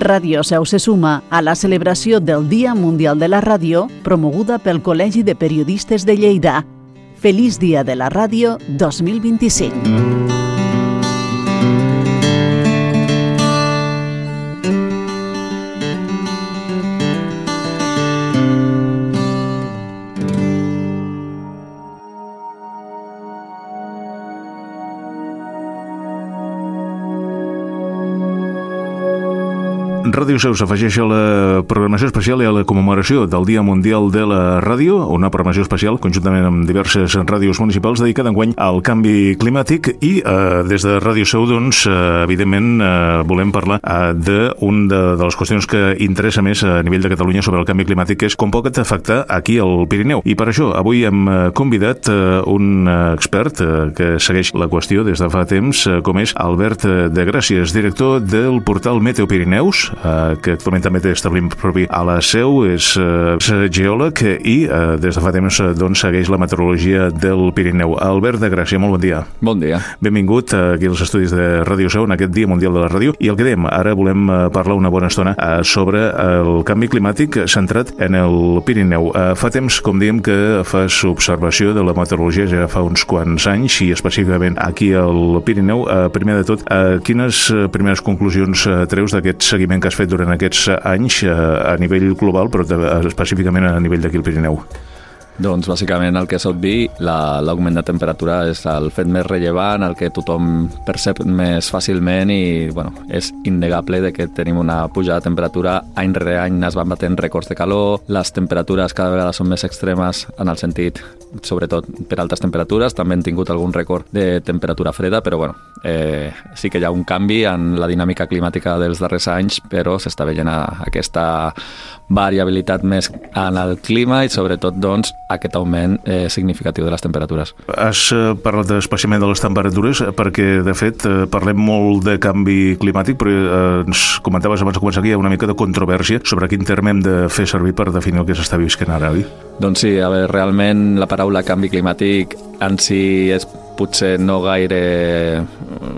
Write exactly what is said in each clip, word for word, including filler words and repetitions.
Radio Seu se suma a la celebració del Dia Mundial de la Ràdio promoguda pel Col·legi de Periodistes de Lleida. Feliç Dia de la Ràdio dos mil vint-i-cinc. Ràdio Seu s'afegeix a la programació especial i a la commemoració del Dia Mundial de la Ràdio, una programació especial conjuntament amb diverses ràdios municipals dedicada enguany al canvi climàtic i eh, des de Ràdio Seu, doncs, eh, evidentment eh, volem parlar eh, d'una de, de les qüestions que interessa més a nivell de Catalunya sobre el canvi climàtic, que és com pot afectar aquí al Pirineu. I per això avui hem convidat eh, un expert eh, que segueix la qüestió des de fa temps, eh, com és Albert de Gràcies, director del portal Meteo Pirineus, que actualment també té establiment propi a la Seu, és, és geòleg i des de fa temps doncs, segueix la meteorologia del Pirineu. Albert de Gràcia, molt bon dia. Bon dia. Benvingut aquí als estudis de Ràdio Seu en aquest Dia Mundial de la Ràdio. I el que dèiem, ara volem parlar una bona estona sobre el canvi climàtic centrat en el Pirineu. Fa temps, com dèiem, que fas observació de la meteorologia ja fa uns quants anys i específicament aquí al Pirineu. Primer de tot, quines primeres conclusions treus d'aquest seguiment que has fet durant aquests anys a nivell global, però específicament a nivell d'aquí al Pirineu? Doncs bàsicament el que és obvi, l'augment de temperatura és el fet més rellevant, el que tothom percep més fàcilment i bueno, és innegable de que tenim una pujada de temperatura, any rere any es van batent rècords de calor, les temperatures cada vegada són més extremes en el sentit, sobretot per altes temperatures, també hem tingut algun rècord de temperatura freda, però bueno, eh, sí que hi ha un canvi en la dinàmica climàtica dels darrers anys, però s'està veient aquesta variabilitat més en el clima i sobretot doncs aquest augment eh, significatiu de les temperatures. Has eh, parlat especialment de les temperatures perquè, de fet, eh, parlem molt de canvi climàtic, però eh, ens comentaves abans de començar que hi ha una mica de controvèrsia sobre quin terme hem de fer servir per definir el que s'està visquent ara, oi? Doncs sí, a veure, realment la paraula canvi climàtic en si és potser no gaire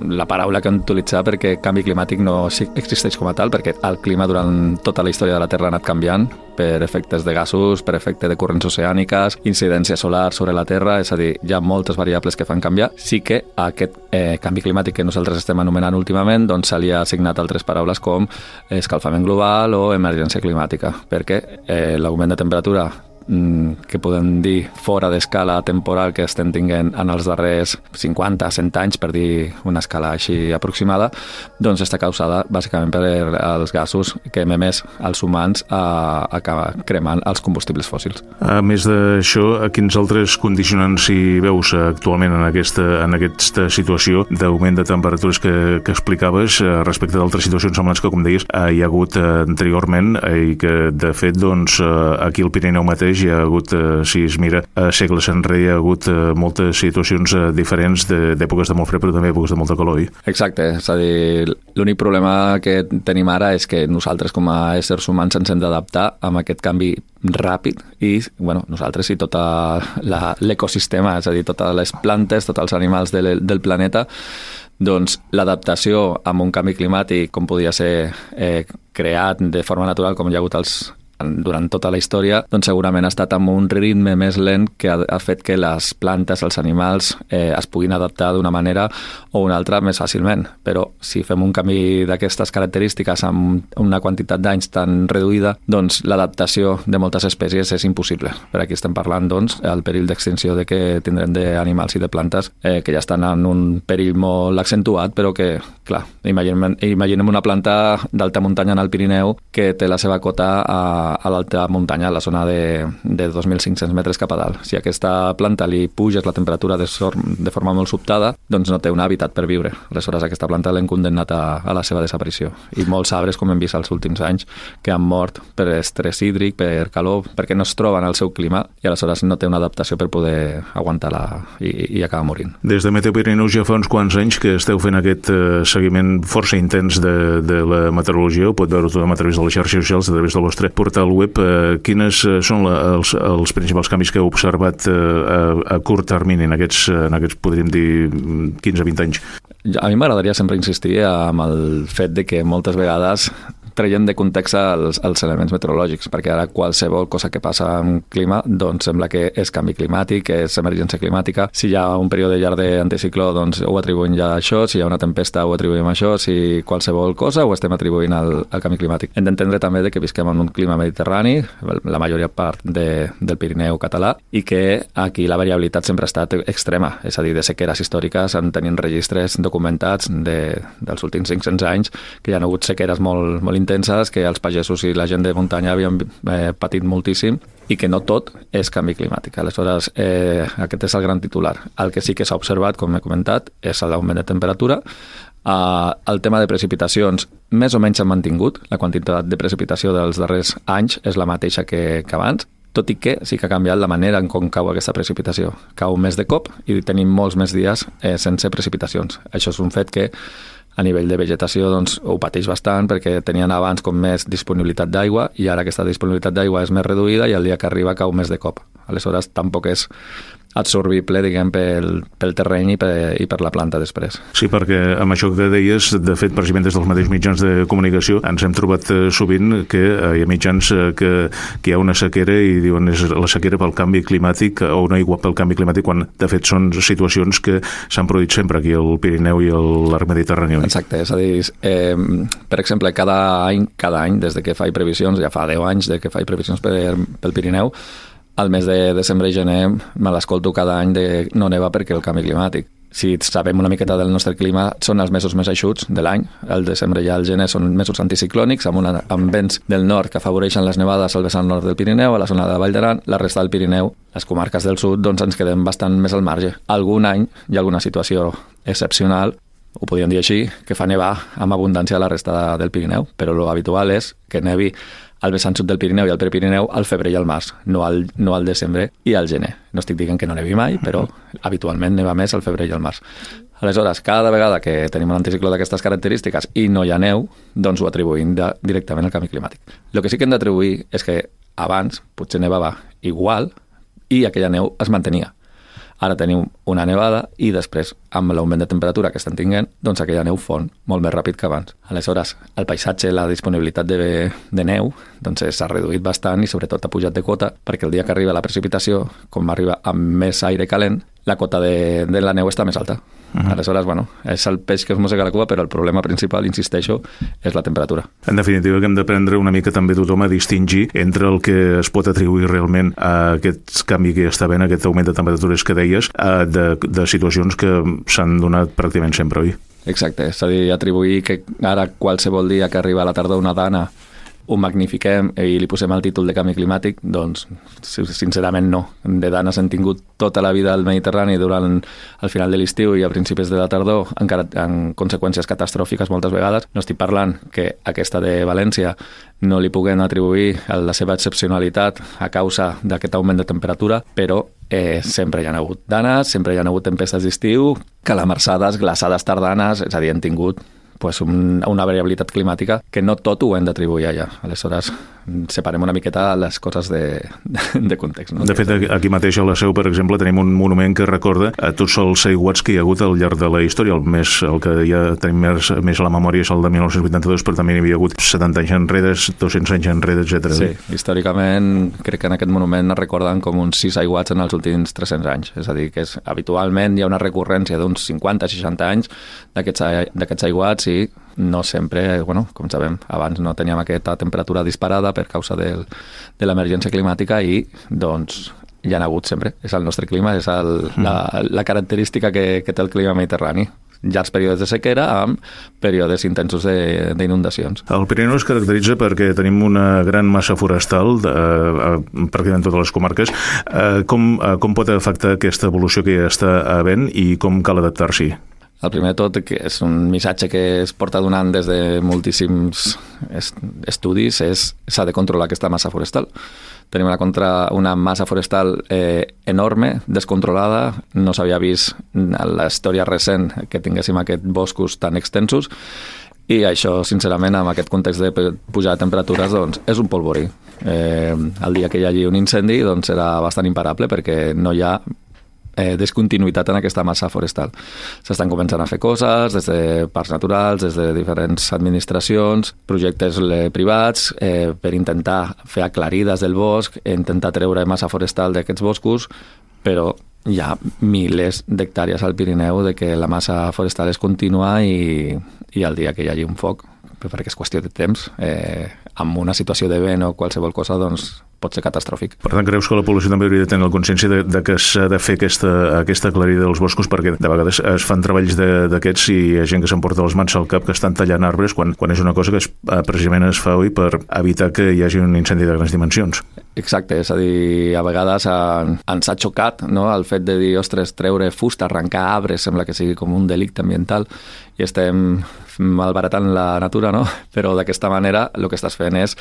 la paraula que hem d'utilitzar perquè canvi climàtic no existeix com a tal, perquè el clima durant tota la història de la Terra ha anat canviant per efectes de gasos, per efecte de corrents oceàniques, incidència solar sobre la Terra, és a dir, hi ha moltes variables que fan canviar. Sí que aquest eh, canvi climàtic que nosaltres estem anomenant últimament doncs se li ha assignat altres paraules com escalfament global o emergència climàtica, perquè eh, l'augment de temperatura que podem dir fora d'escala temporal que estem tinguent en els darrers cinquanta a cent anys, per dir una escala així aproximada, doncs està causada bàsicament per els gasos que hem emès els humans a, a cremant els combustibles fòssils. A més d'això, quins altres condicionants hi veus actualment en aquesta, en aquesta situació d'augment de temperatures que, que explicaves respecte d'altres situacions semblants que, com deies, hi ha hagut anteriorment i que, de fet, doncs, aquí al Pirineu mateix hi ha hagut, si es mira, segles enrere hi ha hagut moltes situacions diferents d'èpoques de molt fred, però també èpoques de molta calor. Exacte, és a dir, l'únic problema que tenim ara és que nosaltres com a éssers humans ens hem d'adaptar amb aquest canvi ràpid i, bueno, nosaltres i tot l'ecosistema, és a dir, totes les plantes, tots els animals del, del planeta, doncs l'adaptació amb un canvi climàtic com podia ser eh, creat de forma natural com hi ha hagut els durant tota la història, doncs segurament ha estat amb un ritme més lent que ha, ha fet que les plantes, els animals, eh, es puguin adaptar d'una manera o una altra més fàcilment. Però si fem un canvi d'aquestes característiques amb una quantitat d'anys tan reduïda, doncs l'adaptació de moltes espècies és impossible. Per aquí estem parlant, doncs, el perill d'extinció de que tindrem d'animals i de plantes eh, que ja estan en un perill molt accentuat, però que, clar, imaginem, imaginem una planta d'alta muntanya en el Pirineu que té la seva cota a a l'alta muntanya, a la zona de, de dos mil cinc-cents metres cap a dalt. Si a aquesta planta li puges la temperatura de, sor, de forma molt sobtada, doncs no té un hàbitat per viure. Aleshores, aquesta planta l'hem condemnat a, a la seva desaparició. I molts arbres, com hem vist els últims anys, que han mort per estrès hídric, per calor, perquè no es troben al seu clima i aleshores no té una adaptació per poder aguantar-la i, i acabar morint. Des de Meteo Pirineus ja fa uns quants anys que esteu fent aquest eh, seguiment força intens de, de la meteorologia. Ho pot veure tothom a través de les xarxes socials, a través del vostre portal al web. Eh, quines són la, els, els principals canvis que heu observat eh, a, a curt termini en aquests, en aquests, podríem dir, quinze a vint anys? A mi m'agradaria sempre insistir amb el fet de que moltes vegades traient de context els, els elements meteorològics, perquè ara qualsevol cosa que passa amb clima doncs sembla que és canvi climàtic, és emergència climàtica. Si hi ha un període llarg d'anticicló, doncs ho atribuïm ja a això, si hi ha una tempesta ho atribuïm a això, si qualsevol cosa ho estem atribuint al, al canvi climàtic. Hem d'entendre també de que visquem en un clima mediterrani, la majoria part de, del Pirineu català, i que aquí la variabilitat sempre ha estat extrema, és a dir, de sequeres històriques en tenim registres documentats de, dels últims cinc-cents anys, que hi ha hagut sequeres molt, molt intenses, que els pagesos i la gent de muntanya havien eh, patit moltíssim, i que no tot és canvi climàtic. Aleshores, eh, aquest és el gran titular. El que sí que s'ha observat, com he comentat, és l'augment de temperatura. Uh, el tema de precipitacions més o menys s'ha mantingut. La quantitat de precipitació dels darrers anys és la mateixa que, que abans, tot i que sí que ha canviat la manera en com cau aquesta precipitació. Cau més de cop i tenim molts més dies eh, sense precipitacions. Això és un fet que a nivell de vegetació doncs, ho pateix bastant perquè tenien abans com més disponibilitat d'aigua i ara aquesta disponibilitat d'aigua és més reduïda i el dia que arriba cau més de cop. Aleshores tampoc és absorbible, diguem, pel, pel terreny i per, i per la planta després. Sí, perquè amb això que deies, de fet, precisament des dels mateixos mitjans de comunicació, ens hem trobat eh, sovint que eh, hi ha mitjans eh, que, que hi ha una sequera i diuen és la sequera pel canvi climàtic o una aigua pel canvi climàtic, quan de fet són situacions que s'han produït sempre aquí al Pirineu i a l'arc mediterrani. Exacte, és a dir, eh, per exemple, cada any, cada any, des de que faig previsions, ja fa deu anys de que faig previsions per, pel Pirineu, al mes de desembre i gener me l'escolto cada any de no neva perquè el canvi climàtic. Si sabem una miqueta del nostre clima, són els mesos més eixuts de l'any. El desembre i el gener són mesos anticiclònics, amb, una, amb vents del nord que afavoreixen les nevades al vessant nord del Pirineu, a la zona de Vall d'Aran, la resta del Pirineu, les comarques del sud, doncs ens quedem bastant més al marge. Algun any hi ha alguna situació excepcional, ho podríem dir així, que fa nevar amb abundància a la resta del Pirineu, però lo habitual és que nevi al vessant sud del Pirineu i al Prepirineu al febrer i al març, no al, no al desembre i al gener. No estic dient que no nevi mai, però habitualment neva més al febrer i al març. Aleshores, cada vegada que tenim un anticicló d'aquestes característiques i no hi ha neu, doncs ho atribuïm de, directament al canvi climàtic. El que sí que hem d'atribuir és que abans potser nevava igual i aquella neu es mantenia. Ara tenim una nevada i després, amb l'augment de temperatura que estan tinguent, doncs aquella neu fon molt més ràpid que abans. Aleshores, el paisatge, la disponibilitat de, de neu, doncs s'ha reduït bastant i sobretot ha pujat de cota, perquè el dia que arriba la precipitació, com arriba amb més aire calent, la cota de, de la neu està més alta. Uh-huh. Aleshores, bueno, és el peix que es mossega la cua, però el problema principal, insisteixo, és la temperatura. En definitiva, que hem d'aprendre una mica també tothom a distingir entre el que es pot atribuir realment a aquest canvi que hi està havent, aquest augment de temperatures que deies, de, de situacions que s'han donat pràcticament sempre, oi? Exacte, és a dir, atribuir que ara qualsevol dia que arriba a la tardor una dana ho magnifiquem i li posem el títol de canvi climàtic, doncs sincerament no. De danes hem tingut tota la vida al Mediterrani durant el final de l'estiu i a principis de la tardor, encara amb conseqüències catastròfiques moltes vegades. No estic parlant que aquesta de València no li puguem atribuir la seva excepcionalitat a causa d'aquest augment de temperatura, però eh, sempre hi ha hagut danes, sempre hi ha hagut tempestes d'estiu, calamarsades, glaçades tardanes, és a dir, hem tingut pues un, una variabilitat climàtica que no tot ho hem d'atribuir allà. Aleshores, separem una miqueta les coses de, de, de context. No? De fet, aquí mateix a la Seu, per exemple, tenim un monument que recorda a tots els aiguats que hi ha hagut al llarg de la història. El, més, el que ja tenim més, més a la memòria és el de mil nou-cents vuitanta-dos, però també hi havia hagut setanta anys enrere, dos-cents anys enrere, etcètera. Sí, històricament crec que en aquest monument es recorden com uns sis aiguats en els últims tres-cents anys. És a dir, que és, habitualment hi ha una recurrència d'uns cinquanta a seixanta anys d'aquests aiguats i no sempre, bueno, com sabem, abans no teníem aquesta temperatura disparada per causa del, de l'emergència climàtica i, doncs, hi ha hagut sempre. És el nostre clima, és el, la, la característica que, que té el clima mediterrani. Llargs períodes de sequera amb períodes intensos d'inundacions. El Pirineu es caracteritza perquè tenim una gran massa forestal eh, eh, pràcticament en totes les comarques. Eh, com, eh, com pot afectar aquesta evolució que ja està havent i com cal adaptar-s'hi? El primer de tot, que és un missatge que es porta donant des de moltíssims estudis, és s'ha de controlar aquesta massa forestal. Tenim una, contra, una massa forestal eh, enorme, descontrolada, no s'havia vist en la història recent que tinguéssim aquests boscos tan extensos i això, sincerament, amb aquest context de pujar de temperatures, doncs, és un polvorí. Eh, el dia que hi hagi un incendi, doncs, serà bastant imparable perquè no hi ha eh, discontinuïtat en aquesta massa forestal. S'estan començant a fer coses des de parcs naturals, des de diferents administracions, projectes eh, privats, eh, per intentar fer aclarides del bosc, intentar treure massa forestal d'aquests boscos, però hi ha milers d'hectàrees al Pirineu de que la massa forestal és contínua i, i el dia que hi hagi un foc, perquè és qüestió de temps, eh, amb una situació de vent o qualsevol cosa, doncs pot ser catastròfic. Per tant, creus que la població també hauria de tenir la consciència de, de que s'ha de fer aquesta, aquesta aclarida dels boscos, perquè de vegades es fan treballs d'aquests i hi ha gent que s'emporta les mans al cap que estan tallant arbres quan, quan és una cosa que es, precisament es fa avui per evitar que hi hagi un incendi de grans dimensions. Exacte, és a dir, a vegades eh, ens ha xocat, no?, el fet de dir, ostres, treure fusta, arrencar arbres, sembla que sigui com un delicte ambiental i estem malbaratant la natura, no? Però d'aquesta manera el que estàs fent és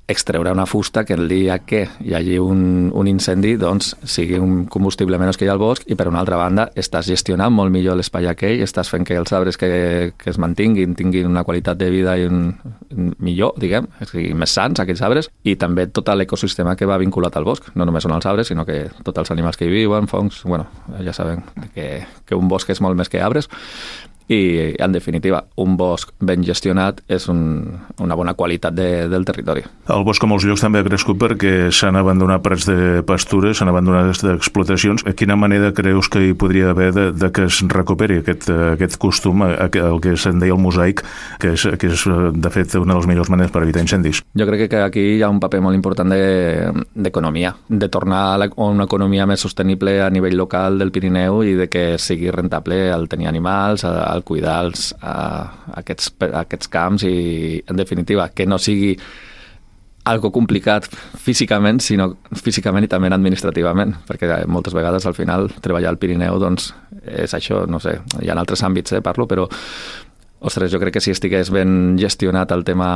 extreure una fusta que el dia que hi hagi un, un incendi doncs sigui un combustible menys que hi ha al bosc i per una altra banda estàs gestionant molt millor l'espai aquell, estàs fent que els arbres que, que es mantinguin tinguin una qualitat de vida i un, un millor, diguem, és a dir, més sants aquells arbres i també tot l'ecosistema que va vinculat al bosc, no només són els arbres sinó que tots els animals que hi viuen, fongs, bueno, ja sabem que, que un bosc és molt més que arbres. I, en definitiva, un bosc ben gestionat és un, una bona qualitat de, del territori. El bosc, a molts llocs, també ha crescut perquè s'han abandonat prats de pastures, s'han abandonat explotacions. A quina manera creus que hi podria haver de, de que es recuperi aquest, aquest costum, el que se'n deia el mosaic, que és, que és, de fet, una de les millors maneres per evitar incendis? Jo crec que aquí hi ha un paper molt important d'economia, de, de tornar a, la, a una economia més sostenible a nivell local del Pirineu i de que sigui rentable el tenir animals, el cuidar els, uh, aquests, aquests camps i, en definitiva, que no sigui algo complicat físicament, sinó físicament i també administrativament, perquè moltes vegades al final treballar al Pirineu doncs, és això, no sé, hi ha altres àmbits, eh, parlo, però ostres, jo crec que si estigués ben gestionat el tema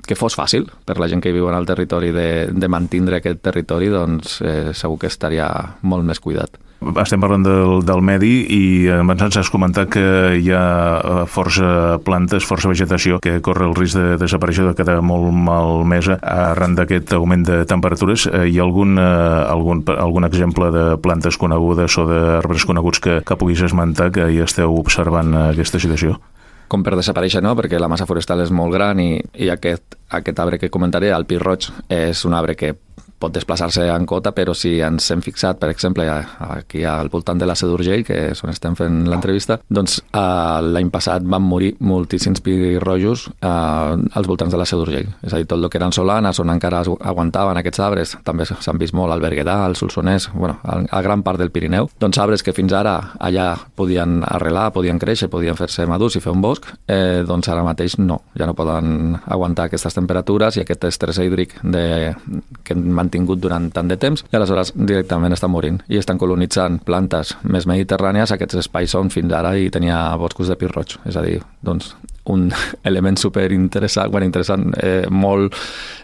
que fos fàcil per la gent que viu en el territori de, de mantindre aquest territori, doncs eh, segur que estaria molt més cuidat. Estem parlant del, del medi i abans ens has comentat que hi ha força plantes, força vegetació que corre el risc de desaparèixer, de quedar molt malmesa arran d'aquest augment de temperatures. Hi ha algun, algun, algun exemple de plantes conegudes o d'arbres coneguts que, que puguis esmentar que hi esteu observant aquesta situació? Com per desaparèixer, no? Perquè la massa forestal és molt gran i, i aquest, aquest arbre que comentaré, el pi roig, és un arbre que pot desplaçar-se en cota, però si ens hem fixat, per exemple, aquí al voltant de la Seu d'Urgell, que és on estem fent l'entrevista, doncs eh, l'any passat van morir moltíssims pirrojos eh, als voltants de la Seu d'Urgell. És a dir, tot el que eren solanes, on encara aguantaven aquests arbres, també s'han vist molt al Berguedà, al Solsonès, bueno, a, a gran part del Pirineu, doncs arbres que fins ara allà podien arrelar, podien créixer, podien fer-se madurs i fer un bosc, eh, doncs ara mateix no, ja no poden aguantar aquestes temperatures i aquest estrès hídric de, que tingut durant tant de temps i aleshores directament estan morint i estan colonitzant plantes més mediterrànies aquests espais on fins ara hi tenia boscos de pi roig. És a dir, doncs, un element superinteressant, bueno, interessant, eh, molt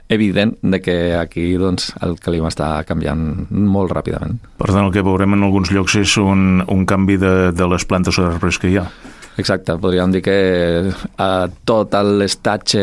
evident de que aquí doncs, el clima està canviant molt ràpidament. Per tant, el que veurem en alguns llocs és un, un canvi de, de les plantes o arbres que hi ha. Exacte, podríem dir que eh, tot l'estatge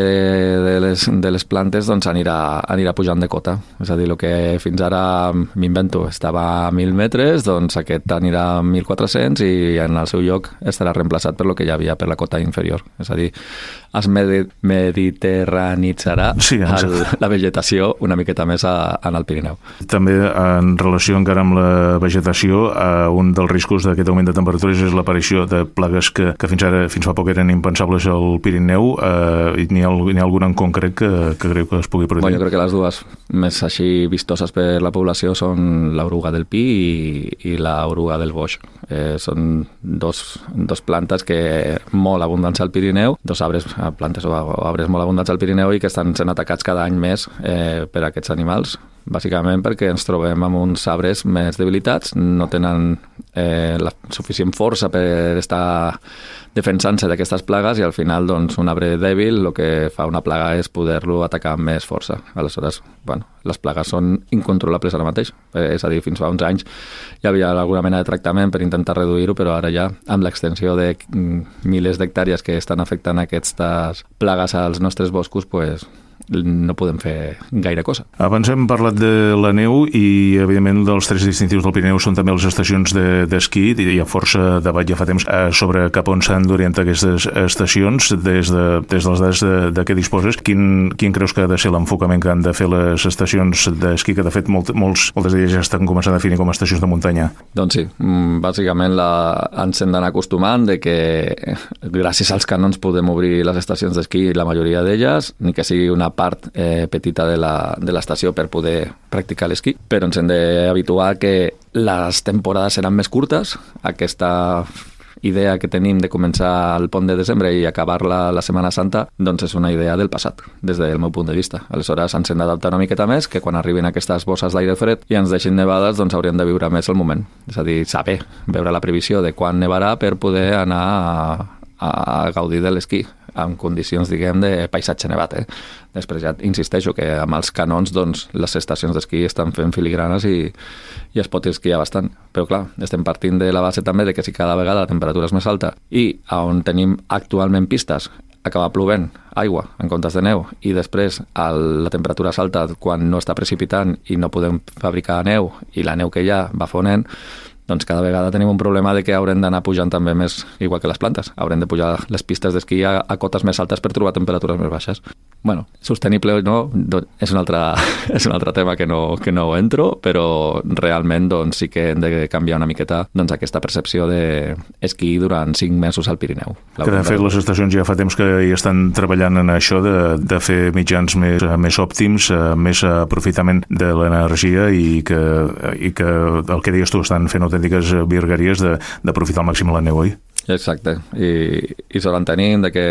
de les, de les plantes doncs, anirà, anirà pujant de cota. És a dir, el que fins ara, m'invento, estava a mil metres, doncs aquest anirà a mil quatre-cents i en el seu lloc estarà reemplaçat per lo que hi havia per la cota inferior. És a dir, es medi mediterranitzarà sí, el, la vegetació una miqueta més a, en el Pirineu. També en relació encara amb la vegetació, eh, un dels riscos d'aquest augment de temperatures és l'aparició de plagues que que fins ara, fins fa poc eren impensables al Pirineu. Eh, n'hi ha, ha algun en concret que, que creu que es pugui produir? Bueno, jo crec que les dues més així vistoses per la població són l'oruga del pi i, i l'oruga del boix. Eh, són dos, dos plantes que molt abundants al Pirineu, dos arbres, plantes o arbres molt abundants al Pirineu i que estan sent atacats cada any més eh, per aquests animals, bàsicament perquè ens trobem amb uns arbres més debilitats, no tenen eh, la suficient força per estar defensant-se d'aquestes plagues i al final doncs, un arbre dèbil el que fa una plaga és poder-lo atacar amb més força. Aleshores, bueno, les plagues són incontrolables ara mateix. Eh, és a dir, fins fa uns anys hi havia alguna mena de tractament per intentar reduir-ho, però ara ja, amb l'extensió de milers d'hectàrees que estan afectant aquestes plagues als nostres boscos, pues, no podem fer gaire cosa. Abans hem parlat de la neu i, evidentment, dels trets distintius del Pirineu són també les estacions d'esquí. De, Hi ha força debat ja fa temps sobre cap on s'han d'orientar aquestes estacions. Des de, des de les dades de, de què disposes, quin, quin creus que ha de ser l'enfocament que han de fer les estacions d'esquí, que de fet molt, molts, moltes d'elles ja estan començant a definir com a estacions de muntanya? Doncs sí, bàsicament la, ens hem d'anar acostumant de que gràcies als canons podem obrir les estacions d'esquí, la majoria d'elles, ni que sigui una part eh, petita de la, de l'estació per poder practicar l'esquí, però ens hem d'habituar que les temporades seran més curtes. Aquesta idea que tenim de començar el pont de desembre i acabar-la la Setmana Santa, doncs és una idea del passat, des del meu punt de vista. Aleshores ens hem d'adaptar una miqueta més, que quan arribin aquestes bosses d'aire fred i ens deixin nevades, doncs hauríem de viure més el moment. És a dir, saber, veure la previsió de quan nevarà per poder anar a, a gaudir de l'esquí en condicions, diguem, de paisatge nevat. Eh? Després ja insisteixo que amb els canons doncs, les estacions d'esquí estan fent filigranes i, i es pot esquiar bastant. Però clar, estem partint de la base també de que si cada vegada la temperatura és més alta i on tenim actualment pistes acaba plovent aigua en comptes de neu i després el, la temperatura és alta quan no està precipitant i no podem fabricar neu i la neu que hi ha va fonent, doncs cada vegada tenim un problema de que haurem d'anar pujant també més, igual que les plantes. Haurem de pujar les pistes d'esquí a, a cotes més altes per trobar temperatures més baixes. Bueno, sostenible o no, doncs, és, un altre, és un altre tema que no, que no entro, però realment doncs, sí que hem de canviar una miqueta doncs, aquesta percepció d'esquí durant cinc mesos al Pirineu. Que de fet les estacions ja fa temps que hi estan treballant en això de, de fer mitjans més, més òptims, més aprofitament de l'energia i que, i que el que deies tu estan fent autèntiques virgueries d'aprofitar al màxim la neu, oi? Exacte, i, i sort en tenim de que,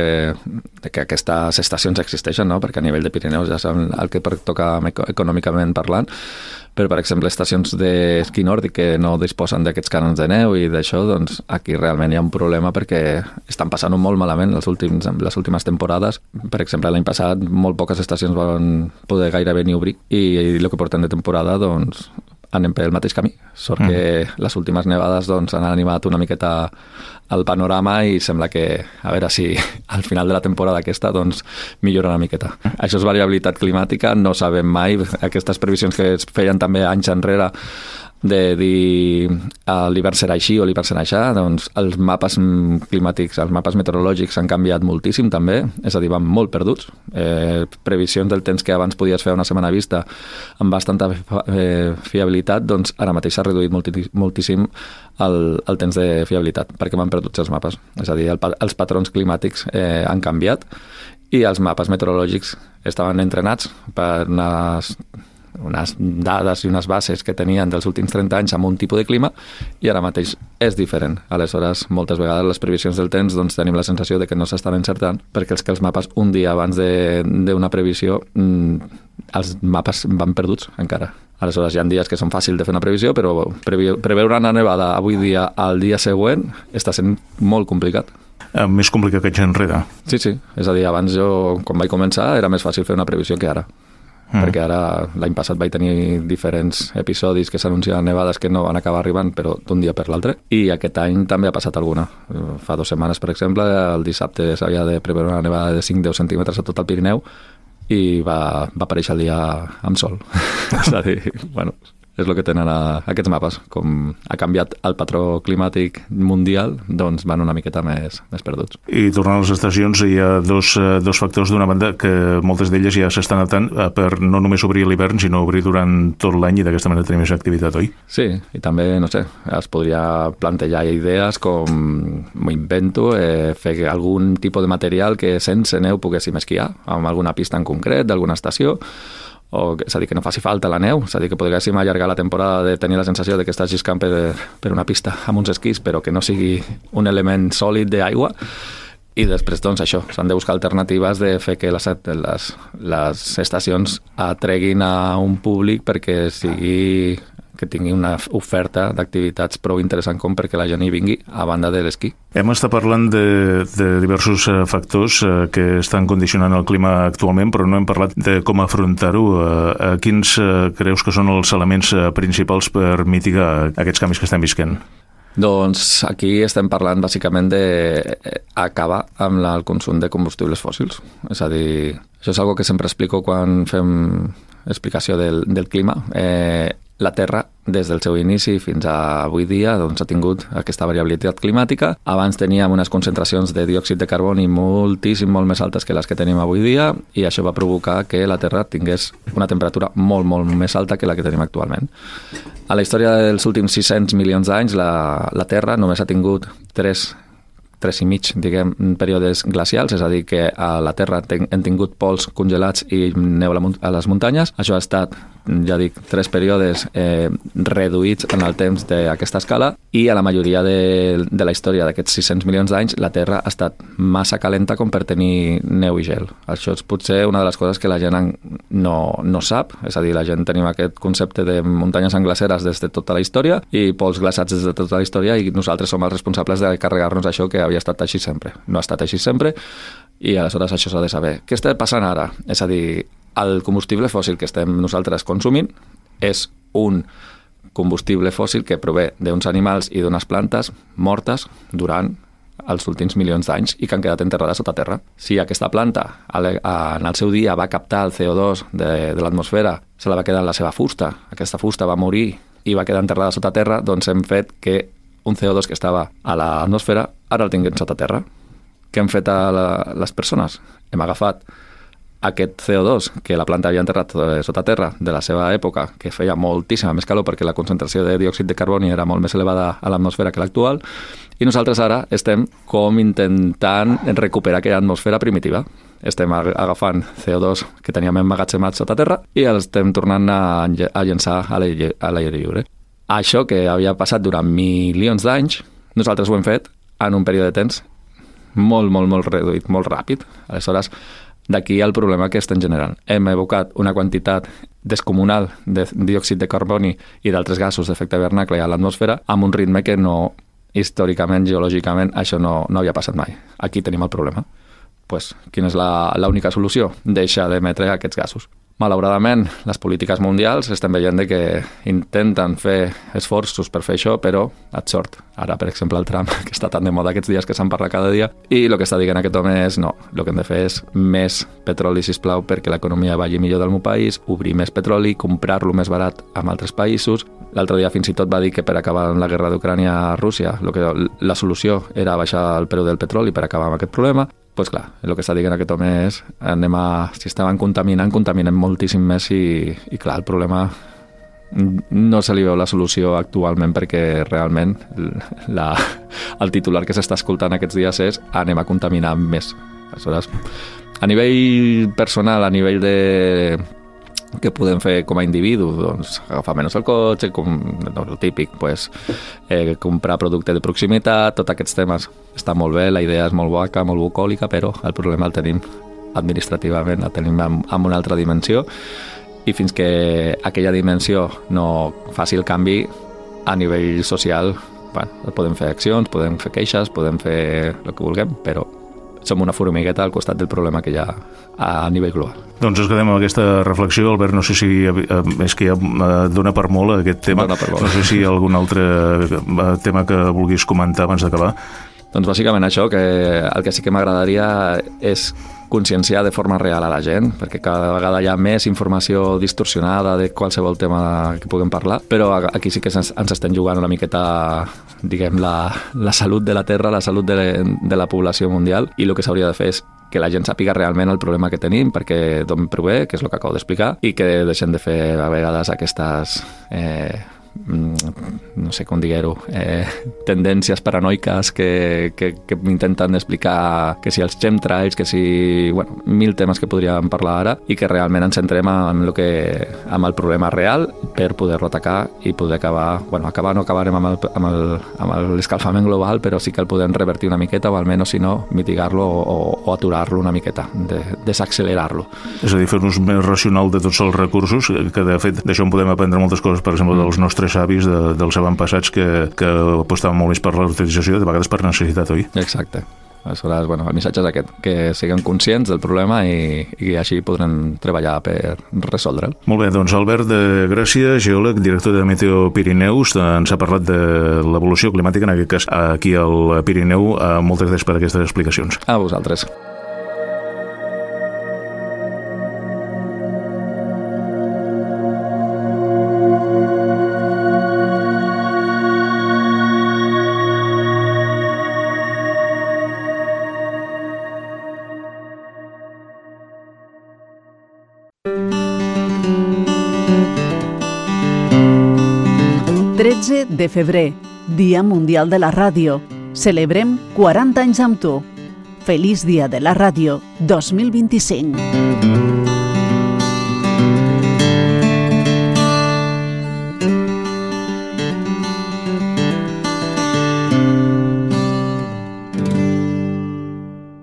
de que aquestes estacions existeixen, no? Perquè a nivell de Pirineus ja saben el que toca econòmicament parlant, però per exemple estacions d'esquí nòrdic que no disposen d'aquests canons de neu i d'això, doncs aquí realment hi ha un problema perquè estan passant molt malament els últims, les últimes temporades. Per exemple, l'any passat molt poques estacions van poder gairebé ni obrir i, i el que portem de temporada doncs anem pel mateix camí. Sort mm. que les últimes nevades doncs, han animat una miqueta el panorama i sembla que, a veure si al final de la temporada aquesta doncs, millora una miqueta. Això és variabilitat climàtica, no sabem mai. Aquestes previsions que es feien també anys enrere de dir l'hivern serà així o l'hivern serà aixà, doncs els mapes climàtics, els mapes meteorològics han canviat moltíssim també, és a dir, van molt perduts. Eh, previsions del temps que abans podies fer una setmana vista amb bastanta eh, fiabilitat, doncs ara mateix s'ha reduït moltíssim el, el temps de fiabilitat, perquè van perduts els mapes. És a dir, el, els patrons climàtics eh, han canviat i els mapes meteorològics estaven entrenats per unes unes dades i unes bases que tenien dels últims trenta anys amb un tipus de clima i ara mateix és diferent. Aleshores, moltes vegades les previsions del temps doncs, tenim la sensació de que no s'estan encertant perquè els que els mapes un dia abans d'una previsió els mapes van perduts encara. Aleshores, hi ha dies que són fàcils de fer una previsió, però preveure una nevada avui dia al dia següent està sent molt complicat. Més complicat que anys enrere. Sí, sí. És a dir, abans jo, quan vaig començar, era més fàcil fer una previsió que ara. Mm. Perquè ara, l'any passat vaig tenir diferents episodis que s'anunciaven nevades que no van acabar arribant, però d'un dia per l'altre. I aquest any també ha passat alguna. Fa dues setmanes, per exemple, el dissabte s'havia de preveure una nevada de cinc a deu centímetres a tot el Pirineu i va, va aparèixer el dia amb sol. És a dir, bueno, és el que tenen a, aquests mapes. Com ha canviat el patró climàtic mundial, doncs van una miqueta més, més perduts. I tornant a les estacions, hi ha dos, dos factors d'una banda que moltes d'elles ja s'estan adaptant per no només obrir l'hivern, sinó obrir durant tot l'any i d'aquesta manera tenir més activitat, oi? Sí, i també, no sé, es podria plantejar idees com, m'ho invento, eh, fer algun tipus de material que sense neu poguéssim esquiar, amb alguna pista en concret, d'alguna estació, o, és a dir, que no faci falta la neu, és a dir, que poguéssim allargar la temporada de tenir la sensació de que estàs lliscant per, per una pista amb uns esquís, però que no sigui un element sòlid d'aigua. I després, doncs, això, s'han de buscar alternatives de fer que les, les, les estacions atreguin a un públic perquè sigui que tingui una oferta d'activitats prou interessant com perquè la gent hi vingui a banda de l'esquí. Hem estat parlant de, de diversos factors que estan condicionant el clima actualment, però no hem parlat de com afrontar-ho. Quins creus que són els elements principals per mitigar aquests canvis que estem visquent? Doncs aquí estem parlant bàsicament d'acabar amb el consum de combustibles fòssils. És a dir, això és una que sempre explico quan fem explicació del, del clima. Eh, la Terra, des del seu inici fins a avui dia, doncs, ha tingut aquesta variabilitat climàtica. Abans teníem unes concentracions de diòxid de carboni moltíssim, molt més altes que les que tenim avui dia, i això va provocar que la Terra tingués una temperatura molt, molt més alta que la que tenim actualment. A la història dels últims sis-cents milions d'anys, la, la Terra només ha tingut tres tres i mig, diguem, períodes glacials, és a dir, que a la Terra hem tingut pols congelats i neu a les muntanyes. Això ha estat, ja dic, tres períodes eh, reduïts en el temps d'aquesta escala, i a la majoria de, de la història d'aquests sis-cents milions d'anys la Terra ha estat massa calenta com per tenir neu i gel. Això és potser una de les coses que la gent no, no sap, és a dir, la gent tenim aquest concepte de muntanyes englaceres des de tota la història i pols glaçats des de tota la història, i nosaltres som els responsables de carregar-nos això que havia estat així sempre. No ha estat així sempre, i aleshores això s'ha de saber. Què està passant ara? És a dir, el combustible fòssil que estem nosaltres consumint és un combustible fòssil que prové d'uns animals i d'unes plantes mortes durant els últims milions d'anys i que han quedat enterrades sota terra. Si aquesta planta en el seu dia va captar el C O dos de, de l'atmosfera, se la va quedar en la seva fusta, aquesta fusta va morir i va quedar enterrada sota terra, doncs hem fet que un C O dos que estava a l'atmosfera ara el tinguem sota terra. Què hem fet a la, les persones? Hem agafat aquest C O dos que la planta havia enterrat sota terra de la seva època, que feia moltíssima més calor perquè la concentració de diòxid de carboni era molt més elevada a l'atmosfera que l'actual, i nosaltres ara estem com intentant recuperar aquella atmosfera primitiva. Estem agafant C O dos que teníem emmagatzemat sota terra i el estem tornant a, a llençar a l'aire lliure. Això que havia passat durant milions d'anys, nosaltres ho hem fet en un període de temps molt, molt, molt reduït, molt ràpid. Aleshores, d'aquí el problema que estem generant. Hem evocat una quantitat descomunal de diòxid de carboni i d'altres gasos d'efecte hivernacle a l'atmosfera amb un ritme que no, històricament, geològicament, això no, no havia passat mai. Aquí tenim el problema. Pues, quina és l'única solució? Deixar d'emetre aquests gasos. Malauradament, les polítiques mundials estem veient que intenten fer esforços per fer això, però et sort. Ara, per exemple, el Trump, que està tan de moda aquests dies que se'n parla cada dia, i el que està dient aquest home és no, el que hem de fer és més petroli, sisplau, perquè l'economia vagi millor del meu país, obrir més petroli, comprar-lo més barat amb altres països. L'altre dia fins i tot va dir que per acabar amb la guerra d'Ucrània a Rússia, lo que, la solució era baixar el preu del petroli per acabar amb aquest problema. Doncs pues clar, el que està dient aquest home és anem a, si estaven contaminant, contaminem moltíssim més i, i clar, el problema no se li veu la solució actualment perquè realment la, el titular que s'està escoltant aquests dies és anem a contaminar més. Aleshores, a nivell personal, a nivell de què podem fer com a individu, doncs agafar menys el cotxe, com no, el típic, pues, eh, comprar producte de proximitat, tots aquests temes està molt bé, la idea és molt boca, molt bucòlica, però el problema el tenim administrativament, el tenim en, en una altra dimensió, i fins que aquella dimensió no faci el canvi a nivell social, bueno, podem fer accions, podem fer queixes, podem fer el que vulguem, però som una formigueta al costat del problema que hi ha a nivell global. Doncs ens quedem amb aquesta reflexió. Albert, no sé si és que ja dona per molt aquest tema. No sé si hi ha algun altre tema que vulguis comentar abans d'acabar. Doncs bàsicament això, que el que sí que m'agradaria és conscienciar de forma real a la gent, perquè cada vegada hi ha més informació distorsionada de qualsevol tema que puguem parlar, però aquí sí que ens, ens estem jugant una miqueta, diguem, la, la salut de la Terra, la salut de, de la població mundial, i el que s'hauria de fer és que la gent sàpiga realment el problema que tenim, perquè d'on prové, que és el que acabo d'explicar, i que deixem de fer a vegades aquestes Eh, no sé com dir-ho, eh, tendències paranoiques que, que, que intenten explicar que si els chemtrails, que si bueno, mil temes que podríem parlar ara, i que realment ens centrem en, lo que, en el problema real per poder-lo atacar i poder acabar, bueno, acabar no acabarem amb, el, amb, el, amb l'escalfament global, però sí que el podem revertir una miqueta, o almenys, si no, mitigar-lo o, o aturar-lo una miqueta, de, desaccelerar-lo. És a dir, fer un ús més racional de tots els recursos, que de fet d'això en podem aprendre moltes coses, per exemple, dels nostres avis de, dels avantpassats que, que apostaven molt més per la utilització, de vegades per necessitat, oi? Exacte. Aleshores, bueno, el missatge és aquest, que siguem conscients del problema i, i així podrem treballar per resoldre'l. Molt bé, doncs Albert de Gràcia, geòleg, director de Meteo Pirineus, ens ha parlat de l'evolució climàtica, en aquest cas aquí al Pirineu. Moltes gràcies per aquestes explicacions. A vosaltres. tretze de febrer, Dia Mundial de la Ràdio. Celebrem quaranta anys amb tu. Feliç Dia de la Ràdio dos mil vint-i-cinc.